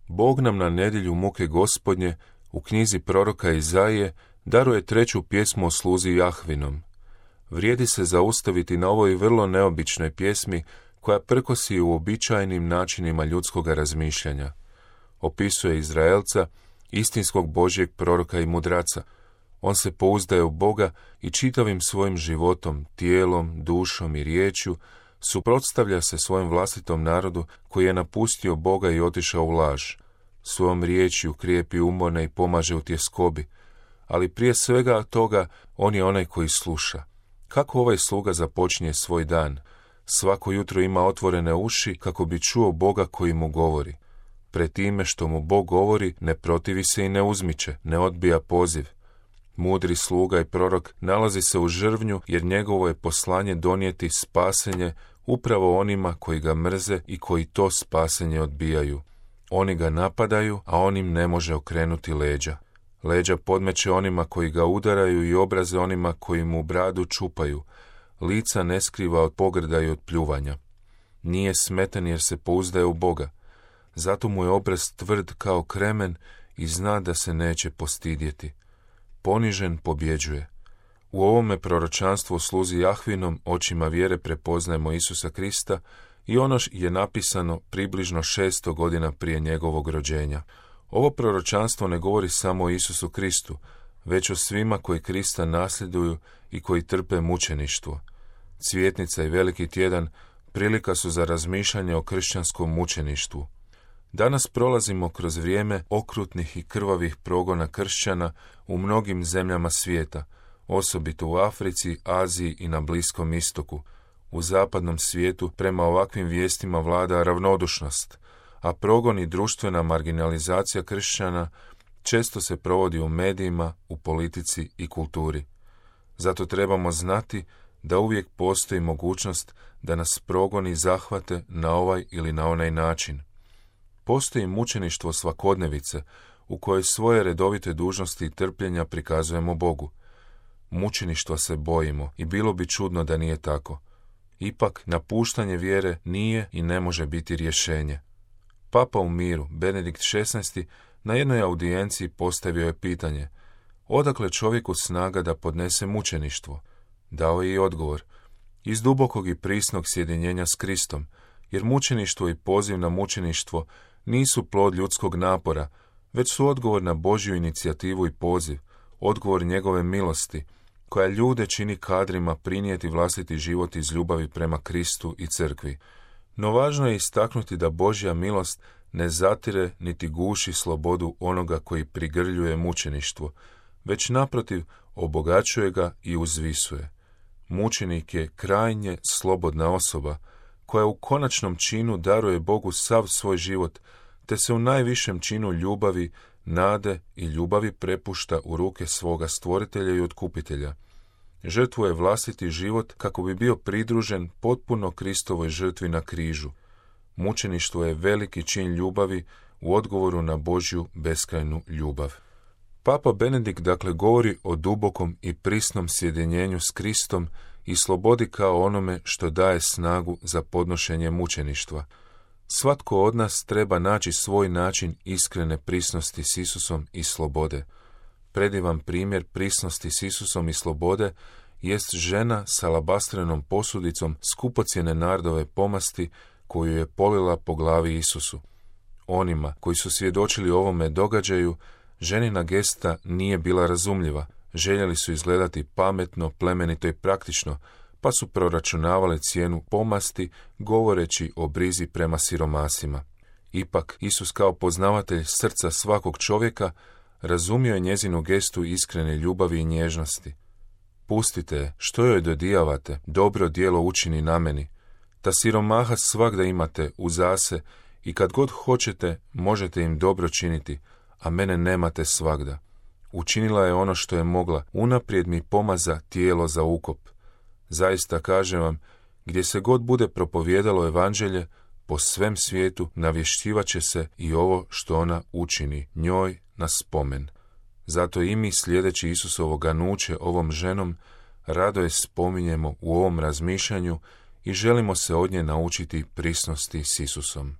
Bog nam na nedjelju muke Gospodnje u knjizi proroka Izaije daruje treću pjesmu o sluzi Jahvinom. Vrijedi se zaustaviti na ovoj vrlo neobičnoj pjesmi koja prkosi uobičajenim načinima ljudskoga razmišljanja. Opisuje Izraelca, istinskog Božjeg proroka i mudraca. On se pouzdaje u Boga i čitavim svojim životom, tijelom, dušom i riječju suprotstavlja se svojem vlastitom narodu koji je napustio Boga i otišao u laž. Svojom riječju krijepi umorne i pomaže u tjeskobi, ali prije svega toga on je onaj koji sluša. Kako ovaj sluga započinje svoj dan? Svako jutro ima otvorene uši kako bi čuo Boga koji mu govori. Pred time što mu Bog govori, ne protivi se i ne uzmiče, ne odbija poziv. Mudri sluga i prorok nalazi se u žrvnju jer njegovo je poslanje donijeti spasenje upravo onima koji ga mrze i koji to spasenje odbijaju. Oni ga napadaju, a on im ne može okrenuti leđa. Leđa podmeće onima koji ga udaraju i obraze onima koji mu bradu čupaju. Lica ne skriva od pogrda i od pljuvanja. Nije smetan jer se pouzdaje u Boga. Zato mu je obraz tvrd kao kremen i zna da se neće postidjeti. Ponižen pobjeđuje. U ovome proročanstvu o sluzi Jahvinom očima vjere prepoznajemo Isusa Krista i ono je napisano približno 600 godina prije njegovog rođenja. Ovo proročanstvo ne govori samo o Isusu Kristu, već o svima koji Krista nasljeduju i koji trpe mučeništvo. Cvjetnica i Veliki tjedan prilika su za razmišljanje o kršćanskom mučeništvu. Danas prolazimo kroz vrijeme okrutnih i krvavih progona kršćana u mnogim zemljama svijeta, osobito u Africi, Aziji i na Bliskom istoku. U zapadnom svijetu prema ovakvim vijestima vlada ravnodušnost, a progon i društvena marginalizacija kršćana često se provodi u medijima, u politici i kulturi. Zato trebamo znati da uvijek postoji mogućnost da nas progoni zahvate na ovaj ili na onaj način. Postoji mučeništvo svakodnevice u kojoj svoje redovite dužnosti i trpljenja prikazujemo Bogu. Mučeništva se bojimo i bilo bi čudno da nije tako. Ipak, napuštanje vjere nije i ne može biti rješenje. Papa u miru, Benedikt XVI, na jednoj audijenciji postavio je pitanje: odakle čovjeku snaga da podnese mučeništvo? Dao je i odgovor: iz dubokog i prisnog sjedinjenja s Kristom, jer mučeništvo i poziv na mučeništvo nisu plod ljudskog napora, već su odgovor na Božju inicijativu i poziv, odgovor njegove milosti, koja ljude čini kadrima prinijeti vlastiti život iz ljubavi prema Kristu i crkvi. No važno je istaknuti da Božja milost ne zatire niti guši slobodu onoga koji prigrljuje mučeništvo, već naprotiv obogaćuje ga i uzvisuje. Mučenik je krajnje slobodna osoba, koja u konačnom činu daruje Bogu sav svoj život, te se u najvišem činu ljubavi, nade i ljubavi prepušta u ruke svoga stvoritelja i otkupitelja. Žrtvuje vlastiti život kako bi bio pridružen potpuno Kristovoj žrtvi na križu. Mučeništvo je veliki čin ljubavi u odgovoru na Božju beskrajnu ljubav. Papa Benedikt dakle govori o dubokom i prisnom sjedinjenju s Kristom i slobodi kao onome što daje snagu za podnošenje mučeništva. Svatko od nas treba naći svoj način iskrene prisnosti s Isusom i slobode. Predivan primjer prisnosti s Isusom i slobode jest žena s alabastrenom posudicom skupocjene nardove pomasti koju je polila po glavi Isusu. Onima koji su svjedočili ovome događaju, ženina gesta nije bila razumljiva. Željeli su izgledati pametno, plemenito i praktično, pa su proračunavali cijenu pomasti, govoreći o brizi prema siromasima. Ipak, Isus kao poznavatelj srca svakog čovjeka razumio je njezinu gestu iskrene ljubavi i nježnosti. Pustite je, što joj dodijavate, dobro djelo učini na meni. Ta siromaha svagda imate uzase i kad god hoćete možete im dobro činiti, a mene nemate svagda. Učinila je ono što je mogla, unaprijed mi pomaza tijelo za ukop. Zaista kažem vam, gdje se god bude propovijedalo evanđelje, po svem svijetu navješćivat će se i ovo što ona učini njoj na spomen. Zato i mi, slijedeći Isusovo ganuće ovom ženom, rado je spominjemo u ovom razmišljanju i želimo se od nje naučiti prisnosti s Isusom.